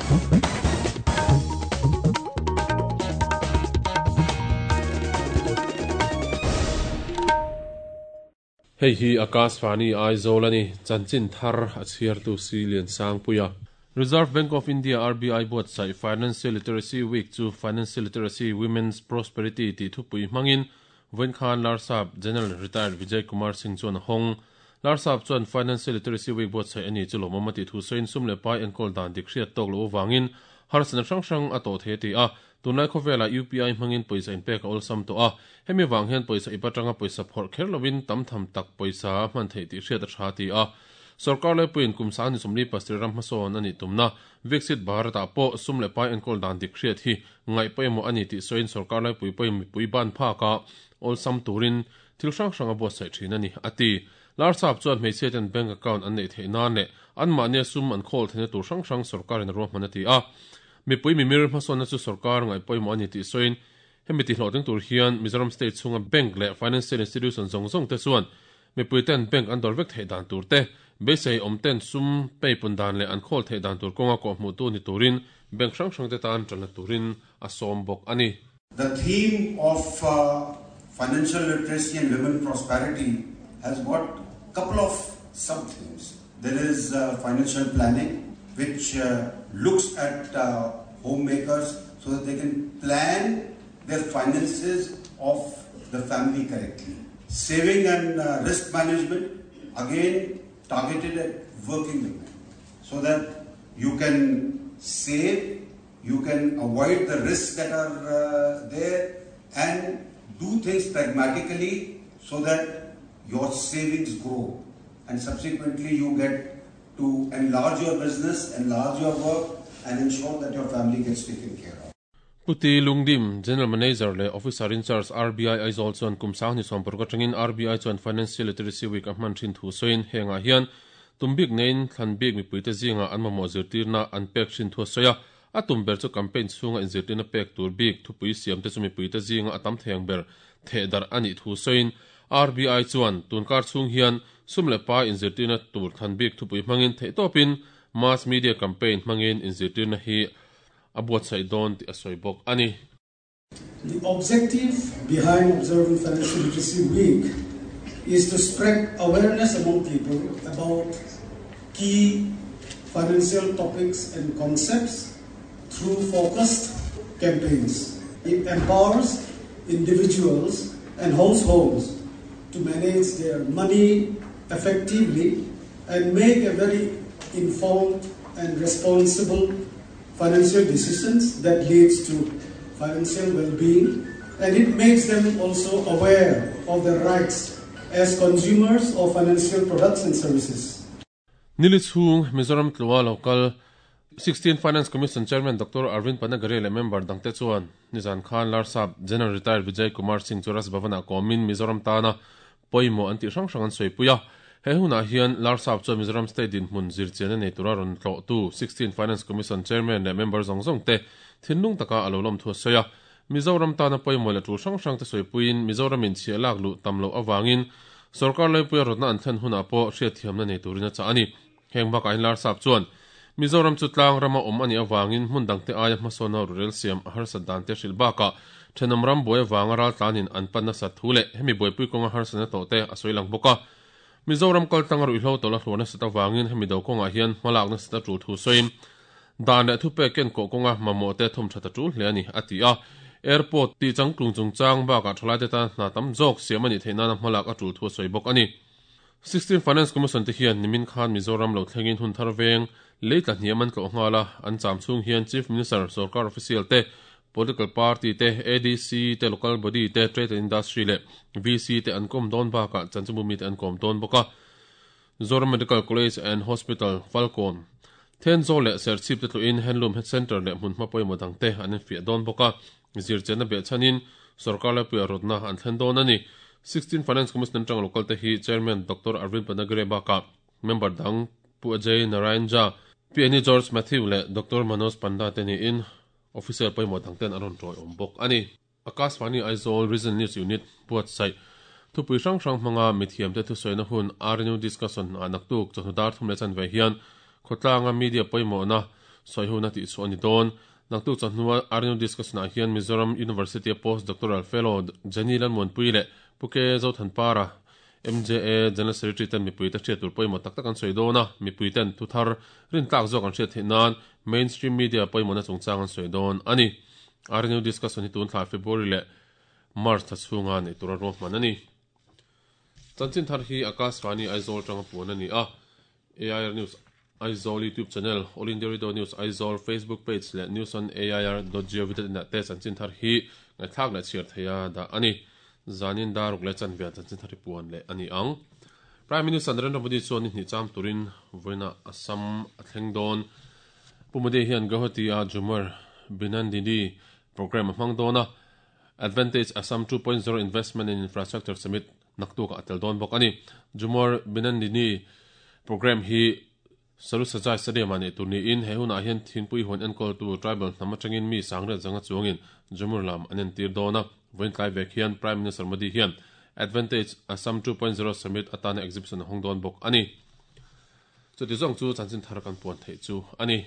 Hei hi Akashvani Aizawl a ni, chanchin thar a chhiartu si Liansangpuia. Reserve Bank of India, RBI, buatsaih Financial Literacy Week chu Financial Literacy, Women's Prosperity tih thupui hmangin vawiin khan Larsap General Retired Vijay Kumar Singh chuan a hawng. Larsap chuan Financial Literacy Week buatsaih a ni chu lawmawm a tih thu sawiin sum leh pai enkawl dan dik hriat tawk loh avangin harsatna hrang hrang a tawh thei a ti a. Tunlai khawvelah UPI hmangin pawisa inpek a awlsam tawh a, hemi vang hian pawisa ip atanga pawisa phawrh kher lovin tam tham tak pawisa a hman theih tih hriat a tha a ti a. Sorkar laipuiin kum sang ni sawmli pasarih ram hmasawn a nih tumna Viksit Bharat-ah pawh sum leh pai enkawl dan dik hriat hi ngaih pawimawh a ni tih sawiin sorkar laipui pawhin mipui ban phaka awlsam turin thil hrang hrang a buatsaih thin a ni, a ti. Larsap chuan hmeichhiaten bank account an neih theih nan leh anmahnia sum an khawl theihna tur hrang hrang sorkarin a ruahman a ti a. Mipui mimir hmasawnna chu sorkar ngaih pawimawh a ni tih sawiin hemi tihhlawhtling tur hian Mizoram state chhunga bank leh financial institution zawng zawng te chuan mipui ten bank an dawr vek theih dan tur te, beisei awm ten sum peipun dan leh an khawl theih dan tur kawnga kawhhmuhtu ni turin bank hrang hrang te tan tanna turin a sawm bawk a ni. The theme of financial literacy and women prosperity has got couple of sub-themes. There is financial planning which looks at homemakers so that they can plan their finances of the family correctly. Saving and risk management again targeted at working women so that you can save, you can avoid the risks that are there and do things pragmatically so that your savings grow and subsequently you get to enlarge your business, enlarge your work and ensure that your family gets taken care of. Pu T. Lungdim, General Manager leh Officer in Charge RBI Aizawl chuan kum sang 26 atangin RBI chuan Financial Literacy Week a hman thin thu sawiin hengah hian tum bik neiin thlan bik mipuite zingah an mamawh zirtirna an pek thin thu a sawi a. A tum ber chu campaign chhunga inzirtirna pek tur bik thupui siamte chu mipuite zinga a tam thei ang ber theh darh a nih thu sawiin RBI chuan tunkar chhung hian sum leh pai inzirtirna tur thlan bik thupui hmangin theihtawpin mass media campaign hmangin inzirtirna hi a buatsaih dawn tih a sawi bawk a ni. The objective behind observing Financial Literacy Week is to spread awareness among people about key financial topics and concepts through focused campaigns. It empowers individuals and households to manage their money effectively and make a very informed and responsible financial decisions that leads to financial well-being, and it makes them also aware of their rights as consumers of financial products and services. Nili chhung Mizoram tlua local 16 Finance Commission Chairman Doctor Arvind Panagariya leh member dangte chuan nizan khan Larsap General Retired Vijay Kumar Singh chu Raj Bhavan-ah kawmin Mizoram tana pawimawh an tih hrang hrang an sawipui a. He hunah hian Larsap chuan Mizoram State dinhmun zirchian a nei tura rawn tlawhtu 16 Finance Commission Chairman leh member zawng zawng te thinlung taka a lo lawm thu a sawi a. Mizoram tana pawimawh leh tul hrang hrang te sawipuiin Mizoram in chhiah lak luh tam loh avangin sorkar laipuia rawtna an thlen hunah pawh hriatthiamna nei turin a chah a ni. Heng bakah hian Larsap chuan Mizoram chu tlang rama awm a nih avangin hmun dangte aia hmasawnna rurel siam a harsat dan te hrilh bakah thenawm ram buai avanga raltlanin an pan nasat thu leh hemi buaipui kawnga harsatna tawh te a sawi lang bawk a. Mizoram kaltlanga ruihhlo tawlh a hluar nasat avangin hemi do kawngah hian hmalak nasat a tul thu sawiin dan leh thupek kenkawh kawnga mamawh te thawm that a tul hle a ni, a ti a. Airport tih changtlung chungchang bakah thalaite tan hna tam zawk siam a nih theih nana hmalak a tul thu a sawi bawk a ni. 16 Finance Commission te hian nimin khan Mizoram lo thlengin hun thar veng lei tla hniam an tlawh nghal a, an cham chhung hian Chief Minister, Sorkar Official te, Political Party te, ADC te, Local Body te, Trade and Industry leh VC te an kawm dawn bakah chanchinbu mite an kawm dawn bawk a. Zoram Medical College and Hospital, Falkawn, Thenzawl leh Serchhip te tluin Handloom Centre leh hmunhma pawimawh dangte an infiah dawn bawk a. Zirchianna behchhanin sorkar laipuia rawtna an thlen dawn a ni. 16 Finance Commission atanga local te hi Chairman Doctor Arvind Panagariya bakah member dang Pu Ajay Narayan Jha, Pi Annie George Mathew leh Doctor Manoj Panda te niin officer pawimawh dang ten an rawn tawiawm bawk a ni. Akashvani Aizawl Regional News Unit buatsaih thupui hrang hrang hmanga mithiamte thusawina hun RNU Discussion ah naktuk chawhnu dar thum leh chanve hian khawtlanga media pawimawhna sawihona tihchhuah a ni dawn. Naktuk chawhnua RNU discussion-ah hian Mizoram University-a Post Doctoral Fellow Jenny Lalmuanpui leh Pu K Zothanpara, MJA General Secretary ten mipuite hriat tur pawimawh tak tak an sawi dawn a, mipuiten thu thar rintlak zawk an hriat theih nan mainstream media pawimawhna chungchang an sawi dawn a ni. RNU discussion hi tun thla February leh March thla chhunga neih tura ruahman a ni. Chanchin thar hi Akashvani Aizawl tanga puan a ni a, AIR News Aizawl YouTube channel, All India Radio News Aizawl Facebook page leh News on AIR dot gov dot in ah te chanchin thar hi ngaihthlak leh chhiar theia dah a ni. Zanin daruk leh chanve ah chanchin thar hi puan leh a ni ang. Prime Minister Narendra Modi chuan ni hnih cham turin vawiinah Assam a thleng dawn. Pu Modi hian Guwahati a Jumar Binandini programme a hmang dawn a, Advantage Assam 2.0 Investment and Infrastructure Summit naktukah a tel dawn bawk a ni. Jumar Binandini programme hi Sarusajai Stadium-ah neih tur niin he hunah hian thingpui huan enkawltu tribal hnam atangin mi sangriat zanga chuangin Jumur lam an entir dawn a. Vawiin tlai vek hian Prime Minister Modi hian Advantage Assam 2.0 Summit atana exhibition a hawng dawn bawk a ni. Chuti zawng chu chanchin thar kan puan theih chu a ni.